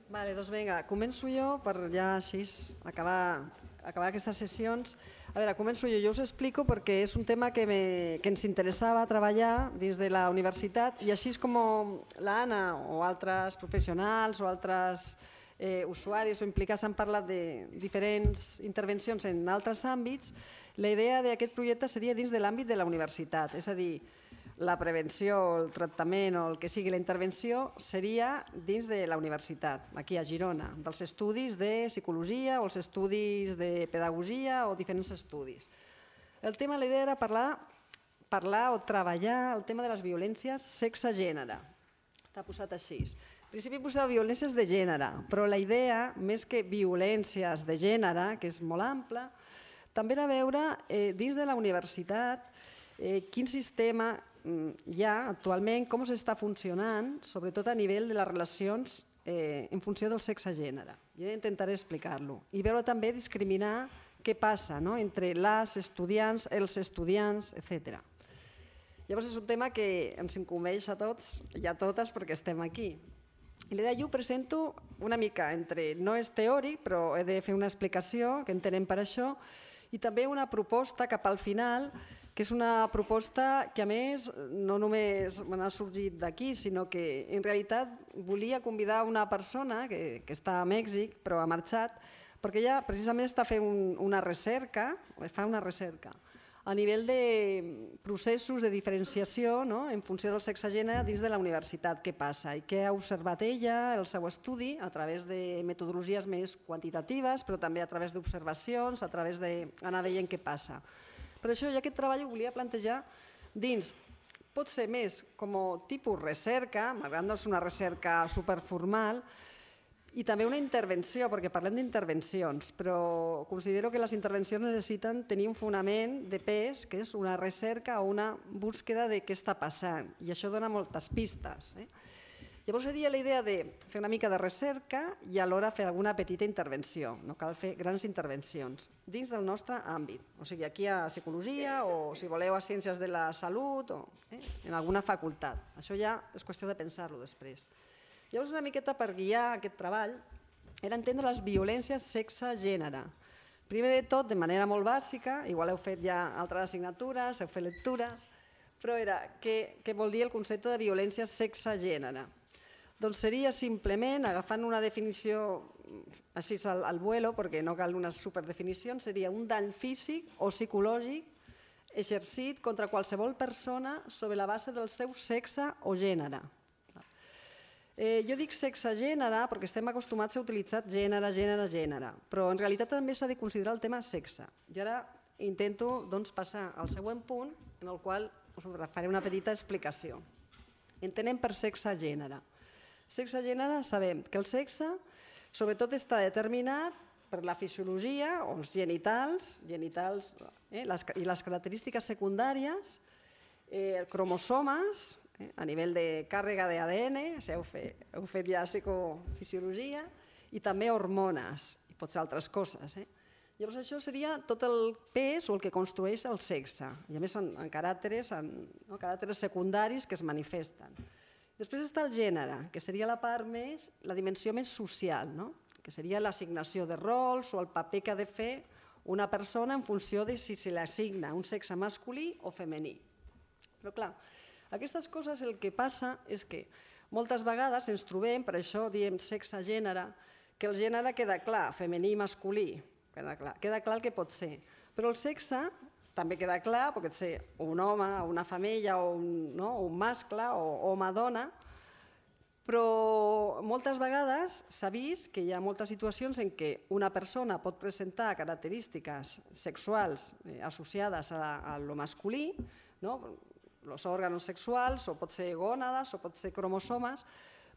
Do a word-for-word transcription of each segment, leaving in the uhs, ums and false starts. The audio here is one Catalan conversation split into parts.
Vale, doncs vinga, començo jo per ja així acabar, acabar aquestes sessions. A veure, començo jo, jo us explico perquè és un tema que, me, que ens interessava treballar dins de la universitat i així com l'Anna o altres professionals o altres eh, usuaris o implicats han parlat de diferents intervencions en altres àmbits, la idea d'aquest projecte seria dins de l'àmbit de la universitat, és a dir, la prevenció, el tractament o el que sigui la intervenció seria dins de la universitat, aquí a Girona, dels estudis de psicologia o els estudis de pedagogia o diferents estudis. El tema, la idea era parlar, parlar o treballar el tema de les violències sexe-gènere. Està posat així. En principi posa violències de gènere, però la idea, més que violències de gènere, que és molt ampla, també era veure eh, dins de la universitat eh, quin sistema hi ha actualment, com s'està funcionant, sobretot a nivell de les relacions eh, en funció del sexe-gènere. Jo intentaré explicar-lo i veure també discriminar què passa no? entre les estudiants, els estudiants, etcètera. Llavors és un tema que ens incumbeix a tots i a totes perquè estem aquí. I l'idea jo ho presento una mica entre, no és teòric, però he de fer una explicació que entenem per això, i també una proposta cap al final, que és una proposta que a més no només me n'ha sorgit d'aquí, sinó que en realitat volia convidar una persona que, que està a Mèxic però ha marxat, perquè ella precisament està fent un, una recerca, fa una recerca a nivell de processos de diferenciació no? en funció del sexe-gènere dins de la universitat, què passa i què ha observat ella, el seu estudi, a través de metodologies més quantitatives, però també a través d'observacions, a través d'anar veient què passa. Per això jo aquest treball ho volia plantejar dins, pot ser més com a tipus recerca, malgrat no és una recerca superformal, i també una intervenció, perquè parlem d'intervencions, però considero que les intervencions necessiten tenir un fonament de pes, que és una recerca o una búsqueda de què està passant, i això dona moltes pistes. Eh? Llavors seria la idea de fer una mica de recerca i alhora fer alguna petita intervenció, no cal fer grans intervencions, dins del nostre àmbit, o sigui, aquí a psicologia o, si voleu, a ciències de la salut o eh, en alguna facultat. Això ja és qüestió de pensar-lo després. Llavors, una miqueta per guiar aquest treball era entendre les violències sexe-gènere. Primer de tot, de manera molt bàsica, igual heu fet ja altres assignatures, heu fet lectures, però era què, què vol dir el concepte de violència sexe-gènere? Doncs seria simplement, agafant una definició així al, al vuelo, perquè no cal unes superdefinicions, seria un dany físic o psicològic exercit contra qualsevol persona sobre la base del seu sexe o gènere. Eh, jo dic sexe-gènere perquè estem acostumats a utilitzar gènere, gènere, gènere, però en realitat també s'ha de considerar el tema sexe. I ara intento doncs, passar al següent punt, en el qual us faré una petita explicació. Entenem per sexe-gènere. Sexe-gènere sabem que el sexe sobretot està determinat per la fisiologia o els genitals, genitals eh, les, i les característiques secundàries, eh, cromosomes, a nivell de càrrega d'A D N, heu fet, heu fet ja psicofisiologia, i també hormones, i potser altres coses. Eh? Llavors això seria tot el pes o el que construeix el sexe, i a més en, en, caràcters, en no, caràcters secundaris que es manifesten. Després està el gènere, que seria la part més, la dimensió més social, no? Que seria l'assignació de rols o el paper que ha de fer una persona en funció de si se li assigna un sexe masculí o femení. Però clar, aquestes coses el que passa és que moltes vegades ens trobem, per això diem sexe-gènere, que el gènere queda clar, femení i masculí, queda clar, queda clar el que pot ser. Però el sexe també queda clar, pot ser un home, una femella, o un, no? un mascle, o home-dona, però moltes vegades s'ha vist que hi ha moltes situacions en què una persona pot presentar característiques sexuals associades a lo masculí, no? els òrgans sexuals, o pot ser gònades, o pot ser cromosomes,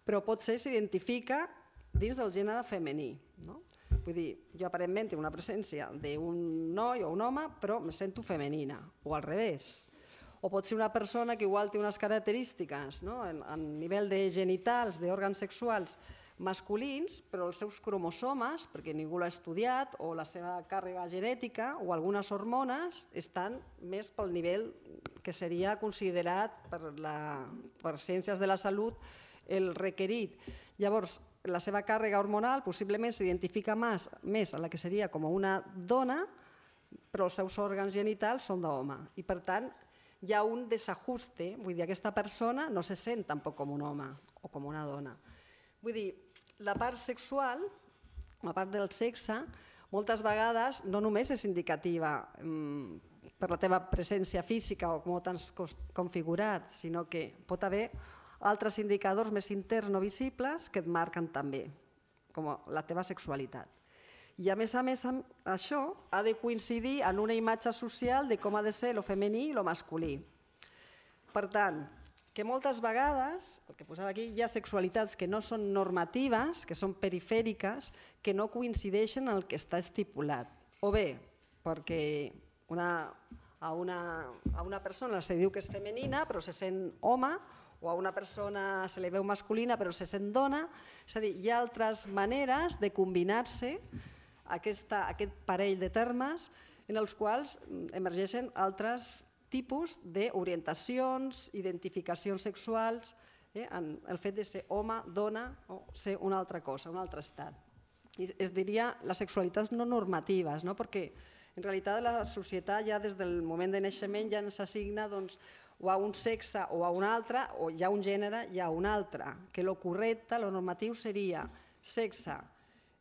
però pot ser s'identifica dins del gènere femení. No? Vull dir, jo aparentment tinc una presència d'un noi o un home, però me sento femenina, o al revés. O pot ser una persona que igual té unes característiques no? a nivell de genitals, d'òrgans sexuals masculins, però els seus cromosomes, perquè ningú l'ha estudiat, o la seva càrrega genètica, o algunes hormones, estan més pel nivell que seria considerat per, la, per ciències de la salut el requerit. Llavors, la seva càrrega hormonal possiblement s'identifica més a la que seria com una dona, però els seus òrgans genitals són d'home. I per tant, hi ha un desajuste, vull dir, aquesta persona no se sent tampoc com un home o com una dona. Vull dir, la part sexual, la part del sexe, moltes vegades no només és indicativa per la teva presència física o com t'has configurat, sinó que pot haver altres indicadors més interns no visibles que et marquen també, com la teva sexualitat. I a més a més això ha de coincidir en una imatge social de com ha de ser lo femení i lo masculí. Per tant, que moltes vegades, el que posava aquí, hi ha sexualitats que no són normatives, que són perifèriques, que no coincideixen en el que està estipulat. O bé, perquè una, a, una, a una persona se diu que és femenina però se sent home, o a una persona se li veu masculina però se sent dona. És a dir, hi ha altres maneres de combinar-se aquesta, aquest parell de termes en els quals emergeixen altres tipus d'orientacions, identificacions sexuals, eh, en el fet de ser home, dona o ser una altra cosa, un altre estat. I es diria les sexualitats no normatives, no? Perquè en realitat la societat ja des del moment de naixement ja ens assigna doncs, o a un sexe o a un altre, o hi ha un gènere i a un altre, que el correcte, el normatiu seria sexe,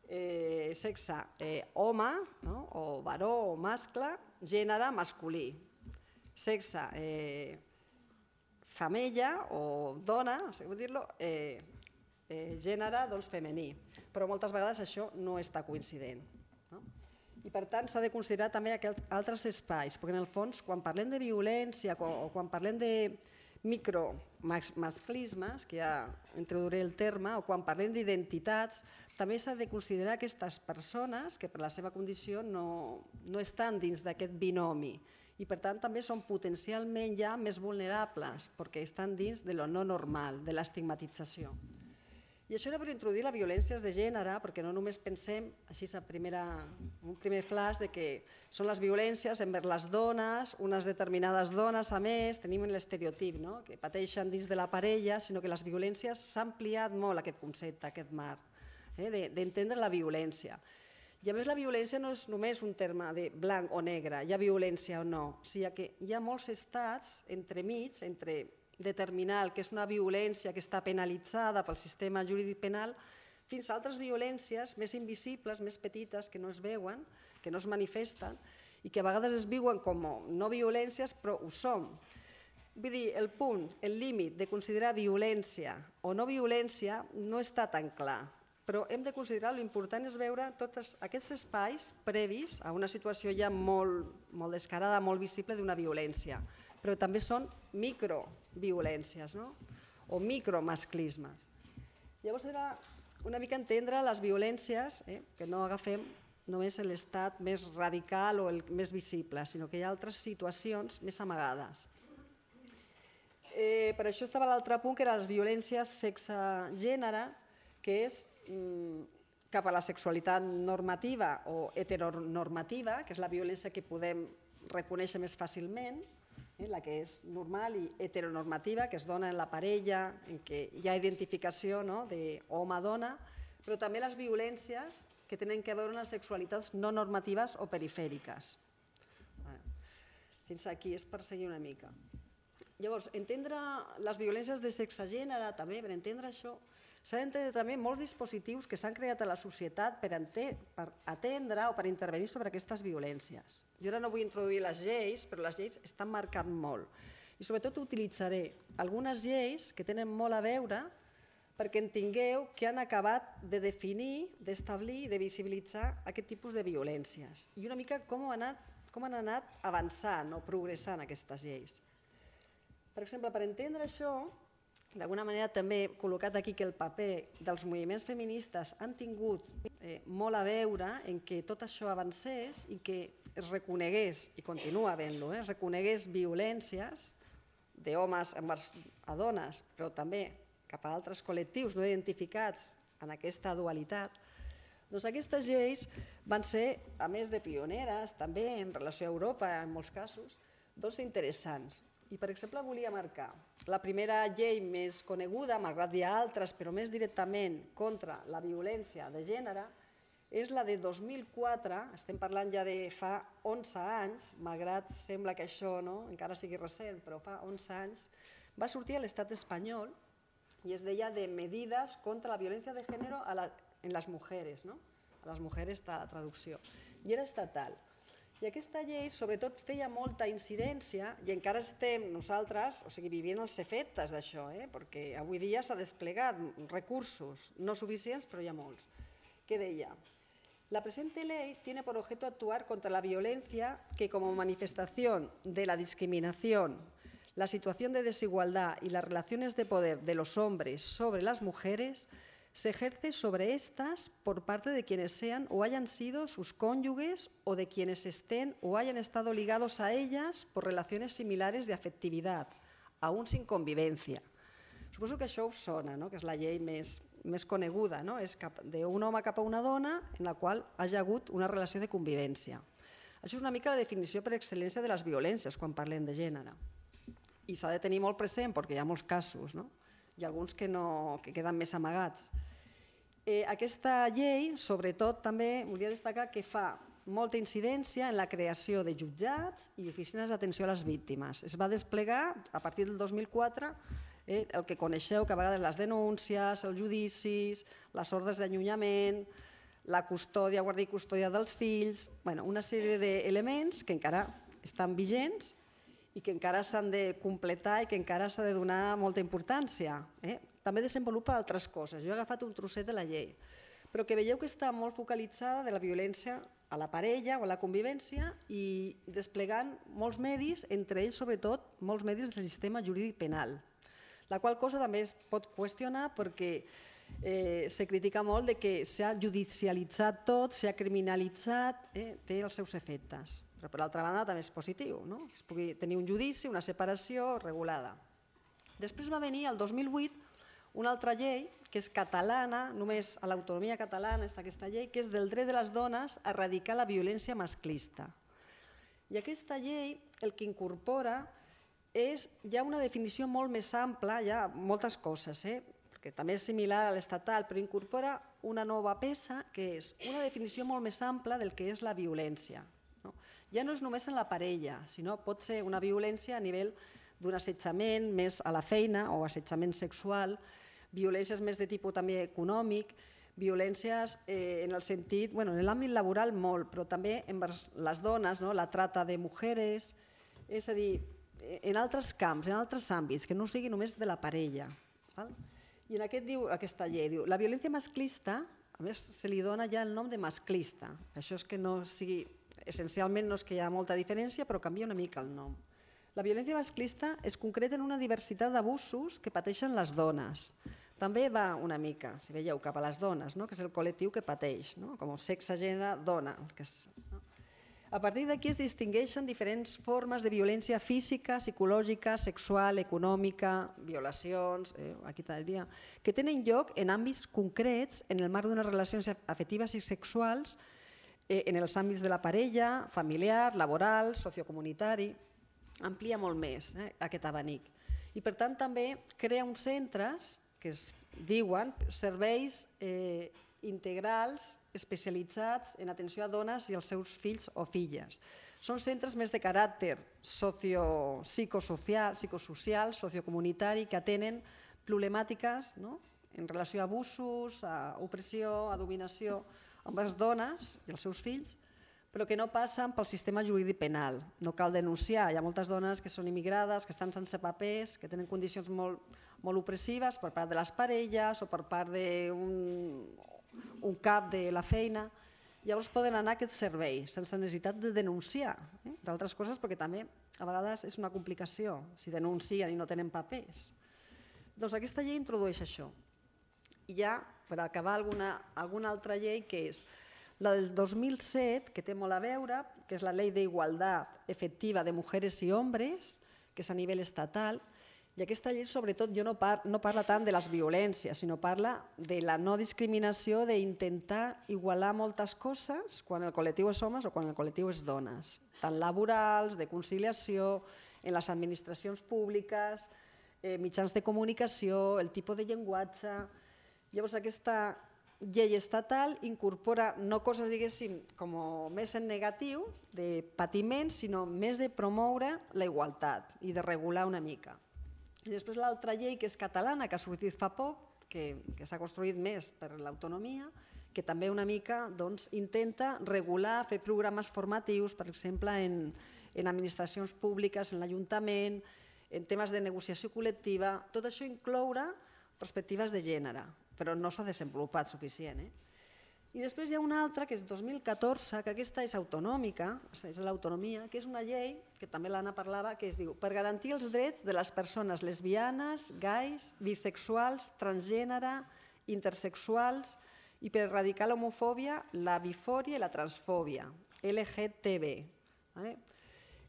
eh, sexe eh, home, no? O varó o mascle, gènere masculí, sexe eh, femella o dona, no sé com dir-lo, eh, eh, gènere doncs, femení, però moltes vegades això no està coincident. No? I per tant s'ha de considerar també altres espais, perquè en el fons quan parlem de violència o quan parlem de micromasclismes, que ja introduiré el terme, o quan parlem d'identitats, també s'ha de considerar aquestes persones que per la seva condició no, no estan dins d'aquest binomi i per tant també són potencialment ja més vulnerables perquè estan dins de lo no normal, de l'estigmatització. I això era per introduir les violències de gènere, perquè no només pensem, així a primera, un primer flash, de que són les violències envers les dones, unes determinades dones, a més, tenim l'estereotip, no? Que pateixen dins de la parella, sinó que les violències s'ha ampliat molt aquest concepte, aquest marc, eh? d'entendre la violència. I a més la violència no és només un terme de blanc o negre, hi ha violència o no, o sigui que hi ha molts estats entremig, entre determinar el que és una violència que està penalitzada pel sistema jurídic penal, fins a altres violències més invisibles, més petites, que no es veuen, que no es manifesten i que a vegades es viuen com no violències, però ho són. Vull dir, el punt, el límit de considerar violència o no violència no està tan clar, però hem de considerar l'important és veure tots aquests espais previs a una situació ja molt, molt descarada, molt visible d'una violència, però també són microviolències, no? O micromasclismes. Llavors era una mica entendre les violències, eh? que no agafem només l'estat més radical o el més visible, sinó que hi ha altres situacions més amagades. Eh, per això estava l'altre punt, que eren les violències sexe-gènere, que és mm, cap a la sexualitat normativa o heteronormativa, que és la violència que podem reconèixer més fàcilment, la que és normal i heteronormativa, que es dona en la parella, en què hi ha identificació d'home-dona, però també les violències que tenen a veure amb les sexualitats no normatives o perifèriques. Fins aquí és per seguir una mica. Llavors, entendre les violències de sexe-gènere, també, per entendre això, s'ha d'entendre també molts dispositius que s'han creat a la societat per atendre o per intervenir sobre aquestes violències. Jo ara no vull introduir les lleis, però les lleis estan marcant molt. I sobretot utilitzaré algunes lleis que tenen molt a veure perquè entengueu que han acabat de definir, d'establir i de visibilitzar aquest tipus de violències i una mica com han anat, com han anat avançant o progressant aquestes lleis. Per exemple, per entendre això, d'alguna manera també he col·locat aquí que el paper dels moviments feministes han tingut eh, molt a veure en que tot això avancés i que es reconegués, i continua havent-lo, eh, es reconegués violències d'homes envers a dones, però també cap a altres col·lectius no identificats en aquesta dualitat. Doncs aquestes lleis van ser, a més de pioneres, també en relació a Europa en molts casos, doncs interessants. I, per exemple, volia marcar la primera llei més coneguda, malgrat hi ha altres, però més directament contra la violència de gènere, és la de dos mil quatre, estem parlant ja de fa onze anys, malgrat sembla que això encara sigui recent, però fa onze anys, va sortir a l'estat espanyol i es deia de medidas contra la violència de gènere en les mujeres, a les mujeres de la traducció, i era estatal. I aquesta llei sobretot feia molta incidència i encara estem nosaltres vivint els efectes d'això, perquè avui dia s'ha desplegat recursos no suficients, però hi ha molts. ¿Qué deia? La presente ley tiene por objeto actuar contra la violencia que como manifestación de la discriminación, la situación de desigualdad y las relaciones de poder de los hombres sobre las mujeres se ejerce sobre estas por parte de quienes sean o hayan sido sus cónyuges o de quienes estén o hayan estado ligados a ellas por relaciones similares de afectividad, aún sin convivencia. Suposo que això us sona, que és la llei més coneguda, és d'un home cap a una dona en la qual hi ha hagut una relació de convivència. Això és una mica la definició per excel·lència de les violències quan parlem de gènere. I s'ha de tenir molt present perquè hi ha molts casos, i alguns que queden més amagats. Aquesta llei, sobretot, també volia destacar que fa molta incidència en la creació de jutjats i oficines d'atenció a les víctimes. Es va desplegar a partir del dos mil quatre el que coneixeu, que a vegades les denúncies, els judicis, les ordres d'allunyament, la custòdia, guàrdia i custòdia dels fills, una sèrie d'elements que encara estan vigents i que encara s'han de completar i que encara s'ha de donar molta importància. També desenvolupa altres coses. Jo he agafat un trosset de la llei, però que veieu que està molt focalitzada de la violència a la parella o a la convivència i desplegant molts medis, entre ells sobretot molts medis del sistema jurídic penal, la qual cosa també es pot qüestionar perquè se critica molt que s'ha judicialitzat tot, s'ha criminalitzat, té els seus efectes. Però per l'altra banda també és positiu, que es pugui tenir un judici, una separació regulada. Després va venir el dos mil vuit una altra llei que és catalana, només a l'autonomia catalana està aquesta llei, que és del dret de les dones a erradicar la violència masclista. I aquesta llei el que incorpora és ja una definició molt més ampla, hi ha moltes coses, perquè també és similar a l'estatal, però incorpora una nova peça que és una definició molt més ampla del que és la violència. Ja no és només en la parella, sinó pot ser una violència a nivell d'un assetjament més a la feina o assetjament sexual, violències més de tipus també econòmic, violències en el sentit, en l'àmbit laboral molt, però també envers les dones, la trata de mujeres, és a dir, en altres camps, en altres àmbits, que no sigui només de la parella. I en aquest diu aquesta llei, diu, la violència masclista, a més se li dona ja el nom de masclista, això és que no sigui, essencialment no és que hi ha molta diferència, però canvia una mica el nom. La violència masclista es concreta en una diversitat d'abusos que pateixen les dones. També va una mica, si veieu, cap a les dones, que és el col·lectiu que pateix, com sexe, gènere, dona. A partir d'aquí es distingeixen diferents formes de violència física, psicològica, sexual, econòmica, violacions, aquí tal dia, que tenen lloc en àmbits concrets en el marc d'unes relacions afectives i sexuals en els àmbits de la parella, familiar, laboral, sociocomunitari. Amplia molt més aquest abanic. I per tant també crea uns centres que es diuen serveis integrals especialitzats en atenció a dones i als seus fills o filles. Són centres més de caràcter psicosocial, sociocomunitari, que atenen problemàtiques en relació a abusos, a opressió, a dominació amb les dones i els seus fills, però que no passen pel sistema jurídic penal. No cal denunciar, hi ha moltes dones que són immigrades, que estan sense papers, que tenen condicions molt opressives per part de les parelles o per part d'un cap de la feina. Llavors poden anar a aquest servei sense necessitat de denunciar d'altres coses, perquè també a vegades és una complicació si denuncien i no tenen papers. Doncs aquesta llei introdueix això. I ja, per acabar, alguna altra llei que és la del dos mil set, que té molt a veure, que és la Ley de Igualdad Efectiva de Mujeres y Hombres, que és a nivell estatal, i aquesta llei sobretot no parla tant de les violències, sinó parla de la no discriminació, d'intentar igualar moltes coses quan el col·lectiu és homes o quan el col·lectiu és dones, tant laborals, de conciliació, en les administracions públiques, eh, mitjans de comunicació, el tipus de llenguatge. Llavors aquesta llei estatal incorpora no coses, diguéssim, com més en negatiu, de patiment, sinó més de promoure la igualtat i de regular una mica. I després l'altra llei, que és catalana, que ha sortit fa poc, que, que s'ha construït més per l'autonomia, que també una mica doncs, intenta regular, fer programes formatius, per exemple, en, en administracions públiques, en l'Ajuntament, en temes de negociació col·lectiva. Tot això incloure perspectives de gènere, però no s'ha desenvolupat suficient. Eh? I després hi ha una altra, que és dos mil catorze, que aquesta és autonòmica, és l'autonomia, que és una llei, que també l'Anna parlava, que es diu per garantir els drets de les persones lesbianes, gais, bisexuals, transgènere, intersexuals i per erradicar l'homofòbia, la bifòria i la transfòbia, L G T B, eh?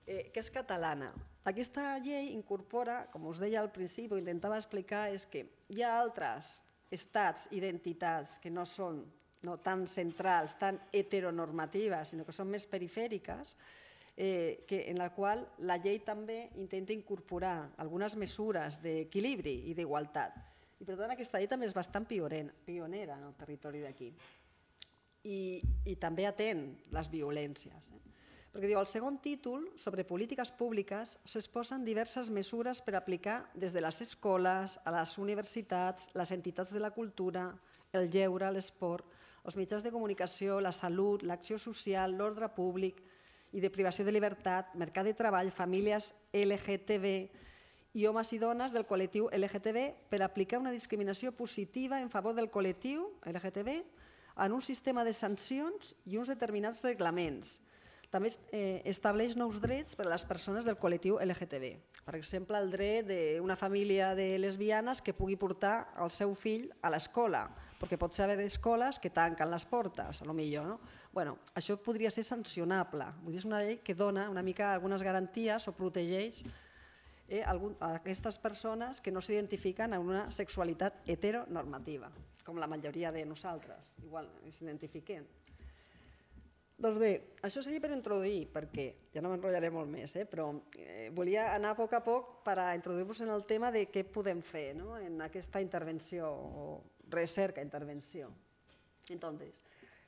Eh, que és catalana. Aquesta llei incorpora, com us deia al principi, ho intentava explicar, és que hi ha altres estats, identitats que no són no tan centrals, tan heteronormatives, sinó que són més perifèriques, eh, que, en la qual la llei també intenta incorporar algunes mesures d'equilibri i d'igualtat. I per tant aquesta llei també és bastant pionera en el territori d'aquí. I, i també atén les violències. Eh? Perquè diu, al segon títol, sobre polítiques públiques, s'exposen diverses mesures per aplicar des de les escoles, a les universitats, les entitats de la cultura, el lleure, l'esport, els mitjans de comunicació, la salut, l'acció social, l'ordre públic i de privació de llibertat, mercat de treball, famílies L G T B i homes i dones del col·lectiu L G T B per aplicar una discriminació positiva en favor del col·lectiu L G T B en un sistema de sancions i uns determinats reglaments. També eh, estableix nous drets per a les persones del col·lectiu L G T B. Per exemple, el dret d'una família de lesbianes que pugui portar el seu fill a l'escola, perquè pot ser haver escoles que tanquen les portes, a lo millor. No? Bueno, això podria ser sancionable. Vull dir, és una llei que dona una mica algunes garanties o protegeix eh, algun, a aquestes persones que no s'identifiquen amb una sexualitat heteronormativa, com la majoria de nosaltres, igual s'identifiquen. Doncs bé, això seria per introduir, perquè ja no m'enrotllaré molt més, eh, però eh, volia anar a poc a poc per a introduir-vos en el tema de què podem fer, no?, en aquesta intervenció o recerca-intervenció. Entonces,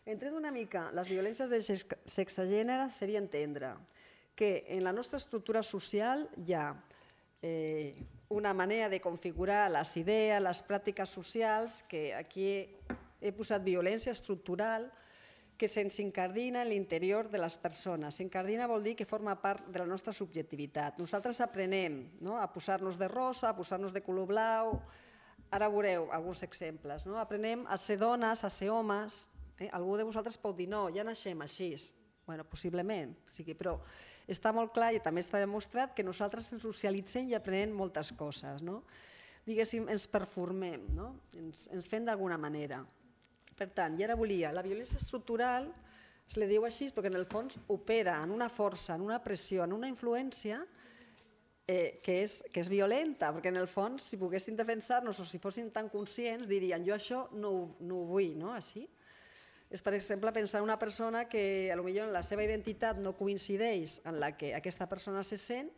entret una mica les violències de sexe-gènere seria entendre que en la nostra estructura social hi ha eh, una manera de configurar les idees, les pràctiques socials, que aquí he posat violència estructural, que se'ns incardina en l'interior de les persones. S'incardina vol dir que forma part de la nostra subjectivitat. Nosaltres aprenem no? a posar-nos de rosa, a posar-nos de color blau. Ara veureu alguns exemples. No? Aprenem a ser dones, a ser homes. Eh? Algú de vosaltres pot dir, no, ja naixem així. Bueno, possiblement, sí, però està molt clar i també està demostrat que nosaltres ens socialitzem i aprenem moltes coses. No? Diguéssim, ens performem, no? ens, ens fem d'alguna manera. Per tant, i ara volia, la violència estructural se li diu així perquè en el fons opera en una força, en una pressió, en una influència eh, que, és, que és violenta, perquè en el fons si poguessin defensar-nos o si fossin tan conscients dirien jo això no, no ho vull, no? Així. És per exemple pensar en una persona que potser en la seva identitat no coincideix en la que aquesta persona se sent.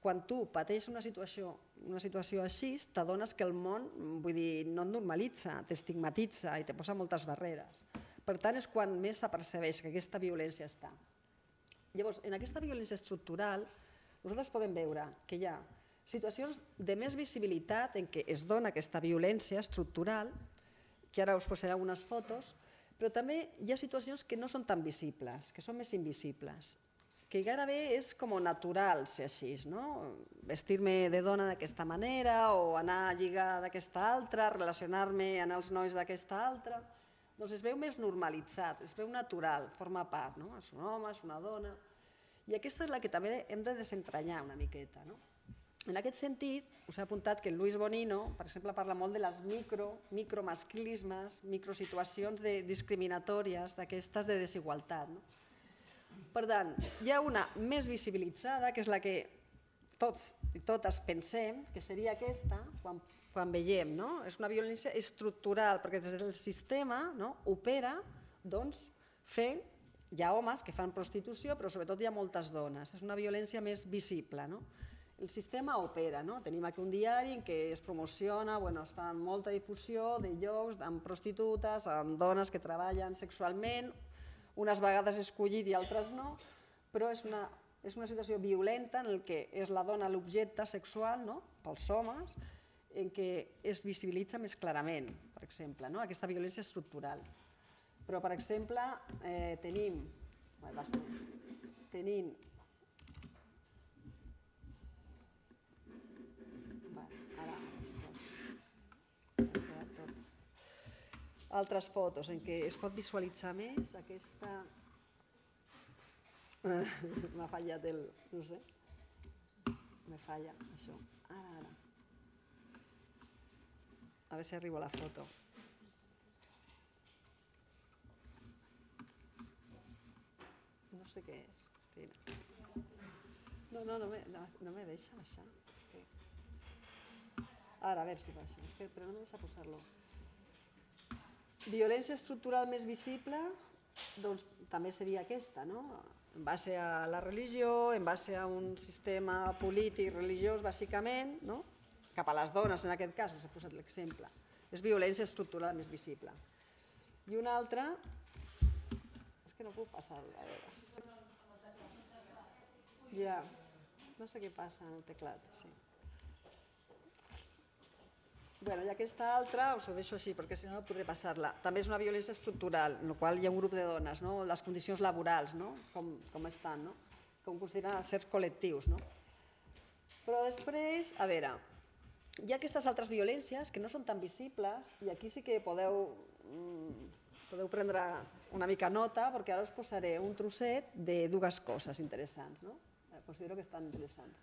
Quan tu pateixes una situació, una situació així, t'adones que el món vull dir, no et normalitza, t'estigmatitza i te posa moltes barreres. Per tant, és quan més s'apercebeix que aquesta violència està. Llavors, en aquesta violència estructural, nosaltres podem veure que hi ha situacions de més visibilitat en què es dona aquesta violència estructural, que ara us posaré algunes fotos, però també hi ha situacions que no són tan visibles, que són més invisibles, que gairebé és com natural ser així, no? Vestir-me de dona d'aquesta manera o anar a lligar d'aquesta altra, relacionar-me amb els nois d'aquesta altra. Doncs es veu més normalitzat, es veu natural, forma part, no? És un home, és una dona. I aquesta és la que també hem de desentranyar una miqueta, no? En aquest sentit, us he apuntat que el Luis Bonino, per exemple, parla molt de les micro, micromasclismes, microsituacions discriminatòries d'aquestes de desigualtat, no? Per tant, hi ha una més visibilitzada, que és la que tots i totes pensem, que seria aquesta, quan, quan veiem. No? És una violència estructural, perquè des del sistema no, opera doncs, fent, hi ha homes que fan prostitució, però sobretot hi ha moltes dones. És una violència més visible. No? el sistema opera, no? Tenim aquí un diari en què es promociona, bueno, està en molta difusió de llocs amb prostitutes, amb dones que treballen sexualment, unes vegades escollit i altres no, però és una, és una situació violenta en què és la dona l'objecte sexual, no?, pels homes, en què es visibilitza més clarament, per exemple, no?, aquesta violència estructural. Però, per exemple, eh, tenim... Tenim... Ara... Altres fotos en què es pot visualitzar més aquesta... M'ha fallat el... no sé. Me falla, això. Ara, ara. A veure si arribo a la foto. No sé què és, Cristina. No, no, no me, no, no me deixa baixar. És que... Ara, a veure si baixa. És que, però no me deixa posar-lo. Violència estructural més visible, doncs també seria aquesta, no? En base a la religió, en base a un sistema polític religiós, bàsicament, no? Cap a les dones, en aquest cas, us he posat l'exemple. És violència estructural més visible. I una altra... És que no puc passar-ho, a veure. Ja, no sé què passa en el teclat, sí. Bueno, i aquesta altra us ho deixo així, perquè si no no podré passar-la. També és una violència estructural, en la qual hi ha un grup de dones, no? Les condicions laborals, no? Com, com estan, no? Com consideren certs col·lectius, no? Però després, a veure, hi ha aquestes altres violències que no són tan visibles i aquí sí que podeu, podeu prendre una mica nota perquè ara us posaré un trosset de dues coses interessants, no? Considero que estan interessants.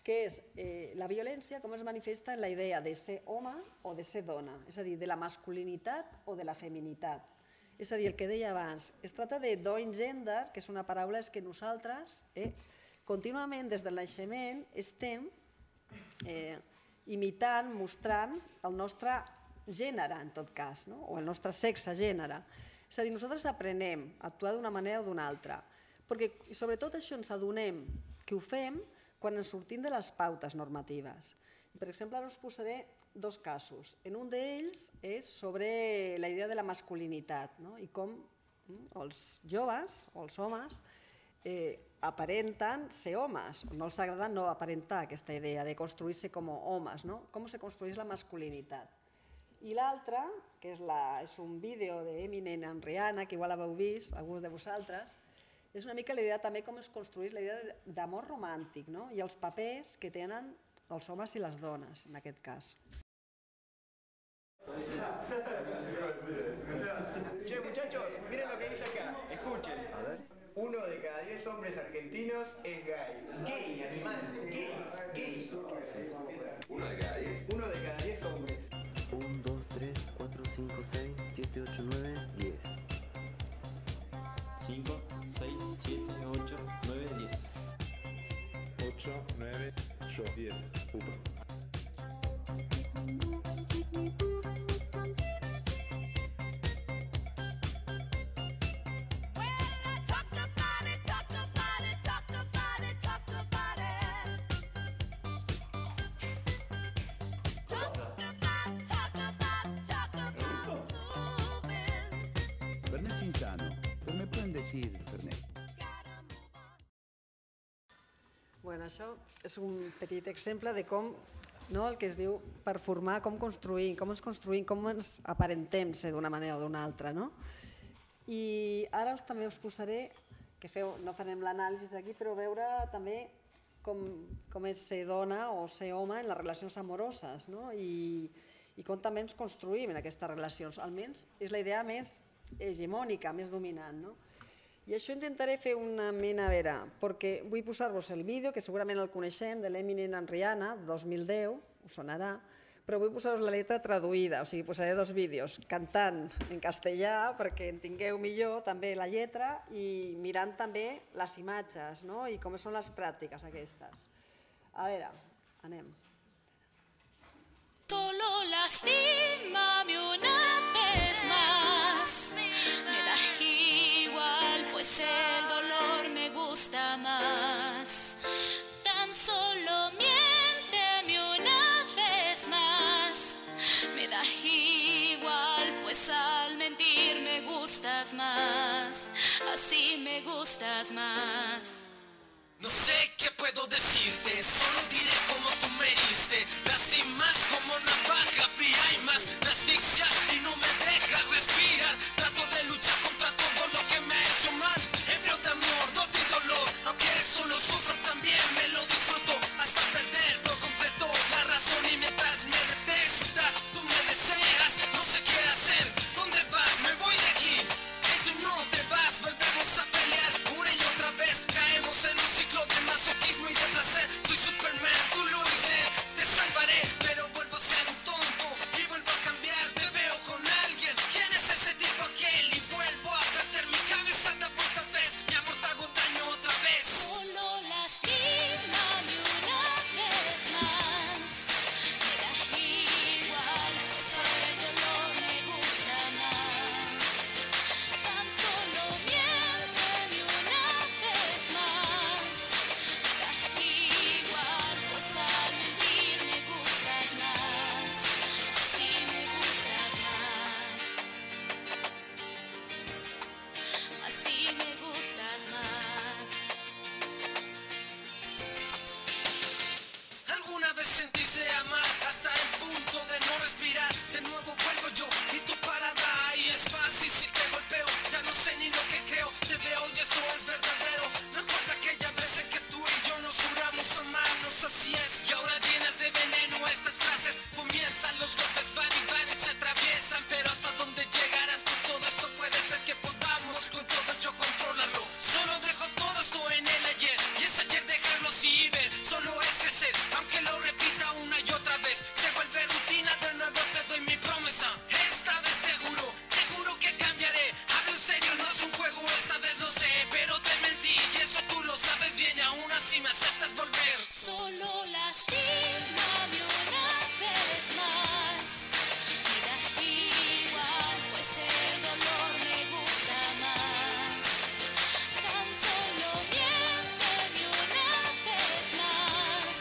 Que és eh, la violència com es manifesta en la idea de ser home o de ser dona, és a dir, de la masculinitat o de la feminitat. És a dir, el que deia abans, es tracta de doing gender, que és una paraula que nosaltres eh, contínuament des del naixement estem eh, imitant, mostrant el nostre gènere, en tot cas, no? O el nostre sexe-gènere. És a dir, nosaltres aprenem a actuar d'una manera o d'una altra, perquè sobretot això ens adonem que ho fem quan ens sortim de les pautes normatives. Per exemple, ara us posaré dos casos. En un d'ells és sobre la idea de la masculinitat, no? I com els joves o els homes eh, aparenten ser homes, no els agrada no aparentar aquesta idea de construir-se com a homes, no? Com se construeix la masculinitat. I l'altre, que és, la, és un vídeo d'Eminem amb Rihanna, que igual l'heu vist, alguns de vosaltres, és una mica la idea també com es construeix la idea d'amor romàntic, no? I els papers que tenen els homes i les dones, en aquest cas. Che, muchachos, miren lo que dice acá, escuchen. A ver. Uno de cada diez hombres argentinos es gay. Gay, animal, gay, gay. Uno de cada diez. Uno de cada diez hombres. uno, dos, tres, cuatro, cinco, seis, siete, ocho, nueve, diez. cinco, seis, siete, ocho, nueve, diez. ocho, nueve, ocho, diez. Upa. Fernet Cinzano, però me pueden decir Fernet. Bueno, això és un petit exemple de com, no, el que es diu performar, com construïm, com ens construïm, com ens aparentem ser d'una manera o d'una altra, no? I ara us, també us posaré, que feu, no farem l'anàlisi aquí, però veure també com, com és ser dona o ser home en les relacions amoroses, no? I, i com també ens construïm en aquestes relacions. Almenys és la idea més hegemònica, més dominant, no? I això intentaré fer una mena, a veure, perquè vull posar-vos el vídeo, que segurament el coneixem, de l'Eminem amb Rihanna, dos mil deu, us sonarà, però vull posar-vos la lletra traduïda, o sigui, posaré dos vídeos, cantant en castellà, perquè entengueu millor també la lletra, i mirant també les imatges, no? I com són les pràctiques aquestes. A veure, anem. Solo lastímame una vez más, me da igual, pues el dolor me gusta más, tan solo mi gustas más, así me gustas más. No sé qué puedo decirte, solo diré como tú me heriste. Lastimas como navaja fría y más me asfixias y no me dejas respirar. Trato de luchar contra todo lo que me ha hecho mal. Ebrio de amor, no de dolor, aunque eso lo sufro también me lo disfruto. Hasta perder por completo la razón y mientras me detestas, tú me deseas. No sé qué hacer, ¿dónde vas? Me voy de aquí. Hey, tú no te vas, volvemos a pelear una y otra vez. Caemos en un ciclo de masoquismo y de placer. Soy Superman, tú Luis Lane. Te salvaré, pero vuelvo a ser un tonto y vuelvo a cambiar. Te veo con alguien. ¿Quién es ese tipo aquel? Y vuelvo a perder mi cabeza de vuelta vez. Mi amor te hago daño otra vez. Solo lastímame una vez más. Me da igual, pues el dolor me gusta más. Tan solo miénteme una vez más. Me da igual, pues al mentir me gustas más. Así me gustas más. Así me gustas más. ¿Alguna vez sentiste amar hasta el punto de no respirar? De nuevo vuelvo yo y tu parada ahí es fácil si te golpeo. Ya no sé ni lo que creo, te veo y esto es verdadero. Recuerda aquella vez en que tú y yo nos juramos amarnos, así es. Y ahora llenas de veneno estas frases. Comienzan los golpes, van y van y se atraviesan. Pero hasta dónde llegarás con todo esto puede ser que podamos con todo yo controlarlo. Solo dejo todo esto en el ayer y es ayer dejarlo así ver. Solo es crecer, aunque lo repita una y otra vez. Se vuelve rutina, de nuevo te doy mi promesa. Esta vez te juro, te juro que cambiaré. Hablo en serio, no es un juego, esta vez lo sé. Pero te mentí y eso tú lo sabes bien y aún así me aceptas volver. Solo lastímame una vez más. Me da igual, pues el dolor me gusta más. Tan solo miénteme una vez más.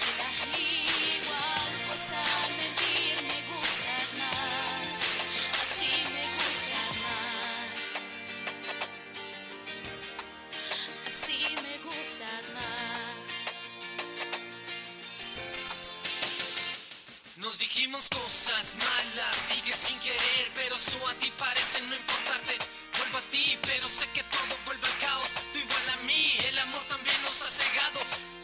Me da igual, pues al mentir me gustas más. Así me gustas más. Así me gustas más. Nos dijimos cosas malas y que sin querer, pero eso a ti parece no importarte. Vuelvo a ti, pero sé que todo vuelve al caos. Tú igual a mí, el amor también nos ha cegado.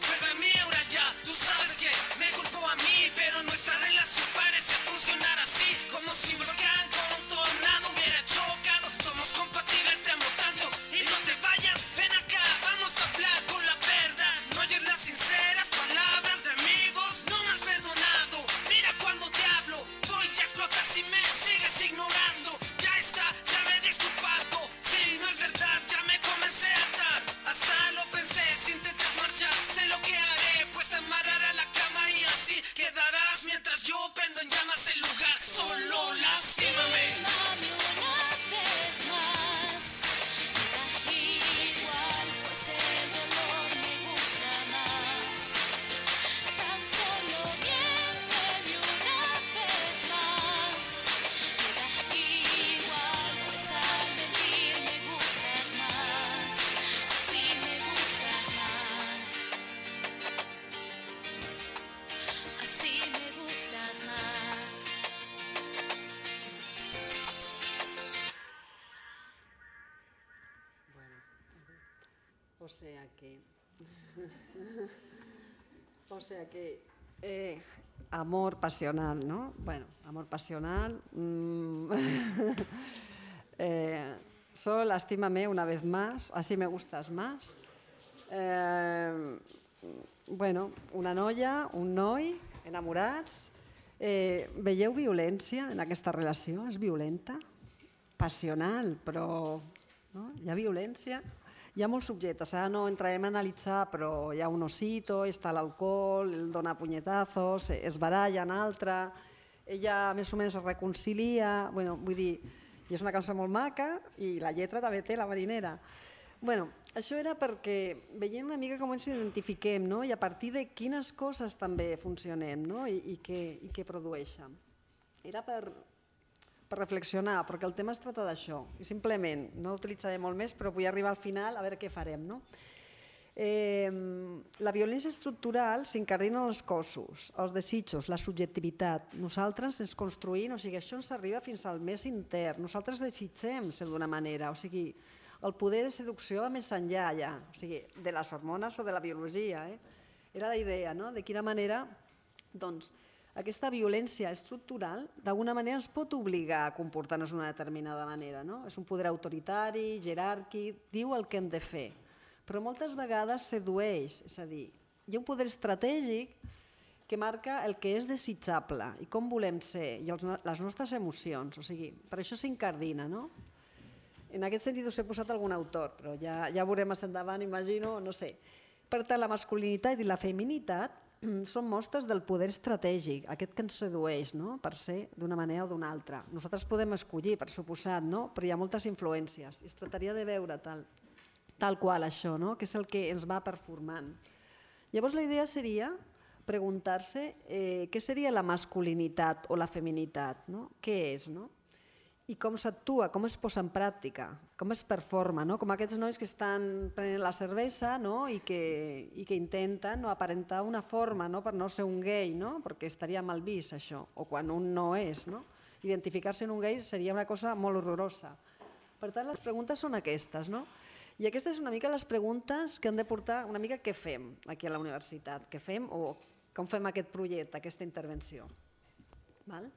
Vuelve a mí ahora ya, tú sabes que me culpó a mí, pero nuestra relación parece funcionar así, como si un volcán con un tornado hubiera chocado. Somos compatibles, te amo tanto y no te vayas. Ven acá, vamos a hablar con la verdad. No oyes las sinceras palabras de mi voz, no me has perdonado. Mira cuando te hablo, voy a explotar si me sigues ignorando. Ya está, ya me he disculpado. Si no es verdad, ya me comencé a atar. Hasta lo pensé, si intentas marchar, sé lo que haré, pues te amarraré a la cama y así quedarás mientras yo prendo en llamas el lugar. Solo lastímame. Lastímame una vez más. Me da igual, pues el dolor me gusta más. Tan solo miénteme una vez más. Me da igual, pues al mentir me gustas más. Así me gustas más. Así me gustas más. O sea que... o sea que... eh, amor pasional, ¿no? Bueno, amor pasional... mm, eh, solo lastímame una vez más, así me gustas más. Eh, bueno, una noia, un noi, enamorats. Eh, veieu violència en aquesta relació? És violenta? Passional, però no? Hi ha violència? Hi ha molts subjectes, ara no entrarem a analitzar, però hi ha un osito, està l'alcohol, el dona punyetazos, es baralla en altra, ella més o menys es reconcilia, bueno, vull dir, i és una cançó molt maca i la lletra també té la marinera. Bueno, això era perquè veiem una mica com ens identifiquem, no? I a partir de quines coses també funcionem, no? I, i, què, i què produeixen. Era per, per reflexionar, perquè el tema es tracta d'això. I simplement, no utilitzaré molt més, però vull arribar al final a veure què farem. No? Eh, la violència estructural s'incardina en els cossos, els desitjos, la subjectivitat. Nosaltres ens construïm, o sigui, això ens arriba fins al més intern. Nosaltres desitgem ser d'una manera, o sigui, el poder de seducció va més enllà ja, o sigui, de les hormones o de la biologia. Eh? Era la idea, no? De quina manera, doncs, aquesta violència estructural d'alguna manera ens pot obligar a comportar-nos d'una determinada manera. No? És un poder autoritari, jeràrquic, diu el que hem de fer, però moltes vegades sedueix, és a dir, hi ha un poder estratègic que marca el que és desitjable i com volem ser i els, les nostres emocions, o sigui, per això s'incardina. No? En aquest sentit us he posat algun autor, però ja, ja veurem més endavant, imagino, no sé. Per tant, la masculinitat i la feminitat són mostres del poder estratègic, aquest que ens sedueix, no? Per ser d'una manera o d'una altra. Nosaltres podem escollir, per suposat, no? Però hi ha moltes influències. Es tractaria de veure tal, tal qual això, no? Que és el que ens va performant. Llavors la idea seria preguntar-se eh, què seria la masculinitat o la feminitat, no? Què és, no? I com s'actua, com es posa en pràctica, com es performa, no? Com aquests nois que estan prenent la cervesa, no? I, que, i que intenten, no? Aparentar una forma, no? Per no ser un gay, no? Perquè estaria mal vist això, o quan un no és. No? Identificar-se en un gay seria una cosa molt horrorosa. Per tant, les preguntes són aquestes. No? I aquestes són una mica les preguntes que han de portar una mica què fem aquí a la universitat, què fem o com fem aquest projecte, aquesta intervenció. Val?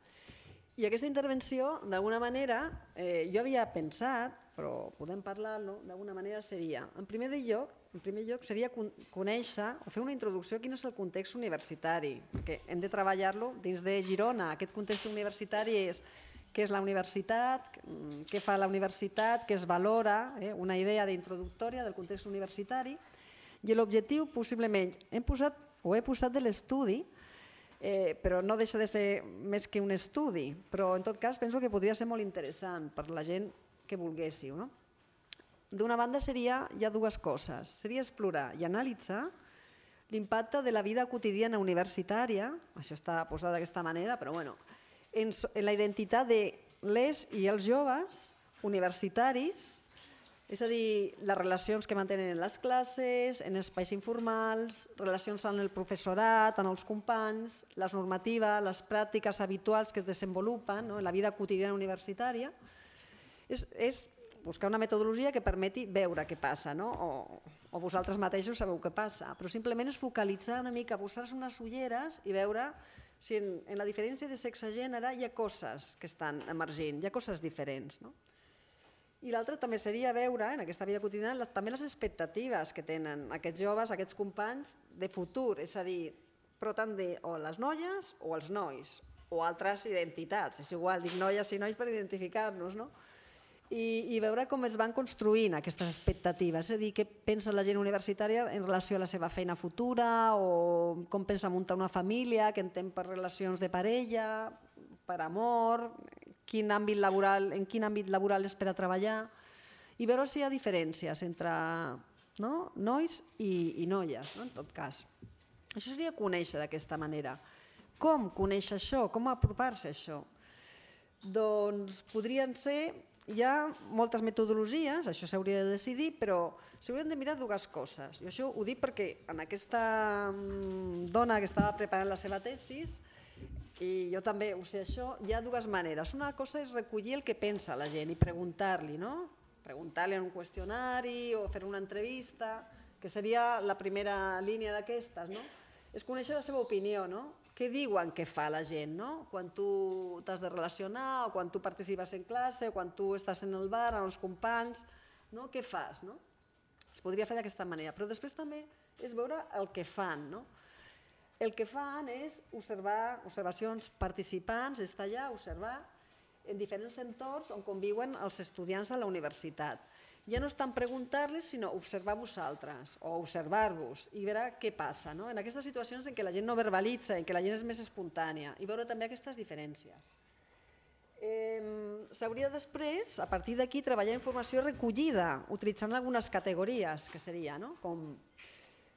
I aquesta intervenció, d'alguna manera, eh, jo havia pensat, però podem parlar-lo, d'alguna manera seria, en primer lloc, en primer lloc seria conèixer o fer una introducció a quin és el context universitari, perquè hem de treballar-lo dins de Girona. Aquest context universitari és què és la universitat, què fa la universitat, què es valora, eh, una idea d'introductòria del context universitari, i l'objectiu, possiblement, hem posat o he posat de l'estudi, Eh, però no deixa de ser més que un estudi, però en tot cas penso que podria ser molt interessant per la gent que volguéssiu. No? D'una banda seria, hi ha dues coses, seria explorar i analitzar l'impacte de la vida quotidiana universitària, això està posat d'aquesta manera, però bueno, en, en la identitat de les i els joves universitaris, és a dir, les relacions que mantenen en les classes, en espais informals, relacions amb el professorat, amb els companys, les normatives, les pràctiques habituals que es desenvolupen, no? En la vida quotidiana universitària. És, és buscar una metodologia que permeti veure què passa, no? o, o vosaltres mateixos sabeu què passa, però simplement és focalitzar una mica, posar-se unes ulleres i veure si en, en la diferència de sexe-gènere hi ha coses que estan emergint, hi ha coses diferents. No? I l'altre també seria veure en aquesta vida quotidiana també les expectatives que tenen aquests joves, aquests companys de futur, és a dir, però tant de o les noies o els nois, o altres identitats, és igual, dic noies i nois per identificar-nos, no? I, i veure com es van construint aquestes expectatives, és a dir, què pensa la gent universitària en relació a la seva feina futura, o com pensa muntar una família, què entén per relacions de parella, per amor, quin àmbit laboral, en quin àmbit laboral espera treballar, i veure si hi ha diferències entre no? nois i, i noies, no? En tot cas. Això seria conèixer d'aquesta manera. Com conèixer això? Com apropar-se a això? Doncs podrien ser, hi ha moltes metodologies, això s'hauria de decidir, però s'haurien de mirar dues coses. Jo això ho dic perquè en aquesta dona que estava preparant la seva tesis, i jo també ho sé això, hi ha dues maneres. Una cosa és recollir el que pensa la gent i preguntar-li, no? Preguntar-li en un qüestionari o fer una entrevista, que seria la primera línia d'aquestes, no? És conèixer la seva opinió, no? Què diuen que fa la gent, no? Quan tu t'has de relacionar o quan tu participes en classe o quan tu estàs en el bar amb els companys, no? Què fas, no? Es podria fer d'aquesta manera, però després també és veure el que fan, no? El que fan és observar observacions participants, estar allà, observar en diferents entorns on conviuen els estudiants a la universitat. Ja no és tant preguntar-los, sinó observar vosaltres o observar-vos i veure què passa, no? En aquestes situacions en què la gent no verbalitza, en què la gent és més espontània, i veure també aquestes diferències. Eh, S'hauria després, a partir d'aquí, treballar informació recollida, utilitzant algunes categories, que seria, no? Com...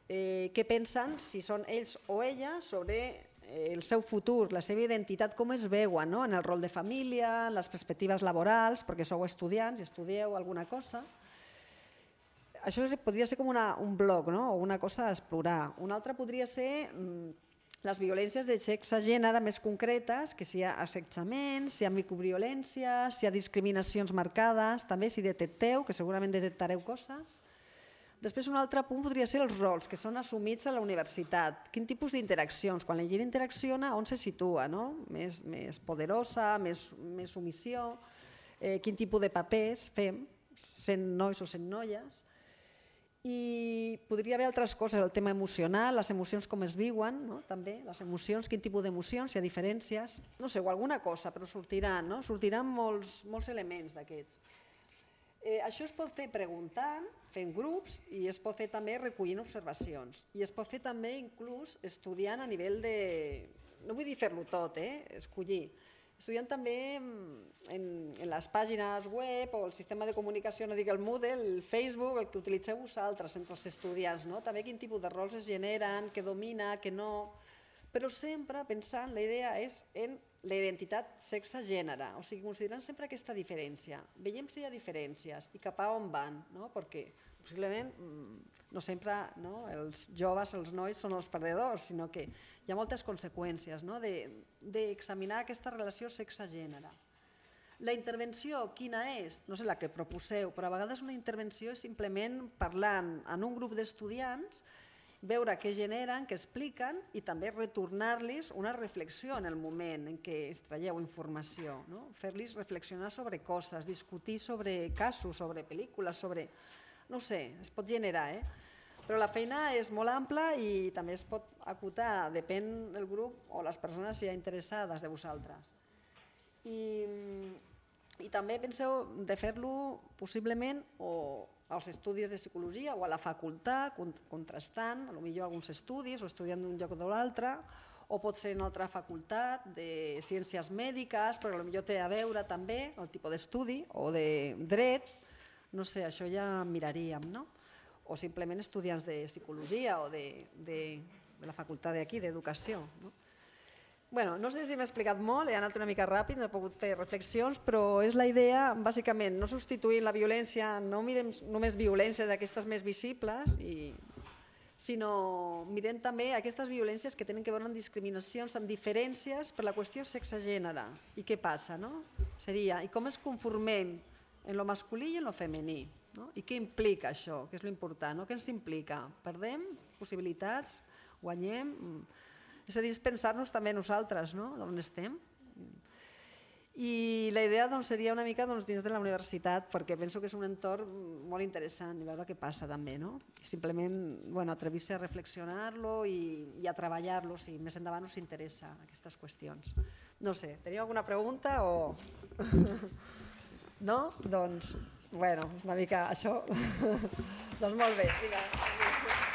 Eh, què pensen, si són ells o elles, sobre el seu futur, la seva identitat, com es veuen, no? En el rol de família, en les perspectives laborals, perquè sou estudiants i estudieu alguna cosa. Això podria ser com una, un bloc, no? O una cosa a explorar. Una altra podria ser mm, les violències de sexe-gènere més concretes, que si hi ha assetjament, si hi ha microviolència, si hi ha discriminacions marcades, també si detecteu, que segurament detectareu coses. Després un altre punt podria ser els rols que són assumits a la universitat. Quin tipus d'interaccions? Quan la gent interacciona, on se situa? No? Més, més poderosa, més, més submissió, eh, quin tipus de papers fem, sent nois o sent noies. I podria haver altres coses, el tema emocional, les emocions com es viuen, no? També, les emocions, quin tipus d'emocions, si hi ha diferències, no sé, o alguna cosa, però sortiran, no? Sortiran molts, molts elements d'aquests. Eh, això es pot fer preguntant, fent grups, i es pot fer també recollint observacions. I es pot fer també inclús estudiant a nivell de... No vull dir fer-lo tot, eh? Escollir. Estudiant també en, en les pàgines web o el sistema de comunicació, no dic el Moodle, el Facebook, el que utilitzeu vosaltres entre els estudiants, no? També quin tipus de rols es generen, què domina, què no... Però sempre pensant, la idea és en la identitat sexe-gènere, o sigui, considerant sempre aquesta diferència. Veiem si hi ha diferències i cap a on van, no? Perquè possiblement no sempre no, els joves, els nois són els perdedors, sinó que hi ha moltes conseqüències no? d'examinar aquesta relació sexe-gènere. La intervenció, quina és? No sé la que proposeu, però a vegades una intervenció és simplement parlant en un grup d'estudiants, veure què generen, què expliquen i també retornar-los una reflexió en el moment en què extraieu informació, no? Fer-los reflexionar sobre coses, discutir sobre casos, sobre pel·lícules, sobre... No sé, es pot generar, eh? Però la feina és molt ampla i també es pot acotar, depèn del grup o les persones si hi ha interessades de vosaltres. I, i també penseu de fer-lo possiblement o als estudis de psicologia o a la facultat, contrastant, potser alguns estudis o estudiant d'un lloc o de l'altre, o pot ser en altra facultat de ciències mèdiques, però potser té a veure també el tipus d'estudi o de dret, no sé, això ja miraríem, no? O simplement estudiants de psicologia o de, de, de la facultat d'aquí, d'educació. No? Bueno, no sé si m'he explicat molt, he anat una mica ràpid, no he pogut fer reflexions, però és la idea, bàsicament, no substituir la violència, no mirem només violències d'aquestes més visibles, i, sinó mirem també aquestes violències que tenen que veure amb discriminacions, amb diferències per la qüestió sexe-gènere. I què passa, no? Seria, i com es conformem en lo masculí i en lo femení. No? I què implica això? Què és l'important? No? Què ens implica? Perdem possibilitats? Guanyem? És a dir, pensar-nos també nosaltres, no? D'on estem. I la idea doncs, seria una mica doncs, dins de la universitat, perquè penso que és un entorn molt interessant i veure què passa també. No? Simplement bueno, atrevir-se a reflexionar-lo i, i a treballar-lo si més endavant us interessa aquestes qüestions. No sé, teniu alguna pregunta o... No? Doncs, bueno, és una mica això. Doncs molt bé. Vinga.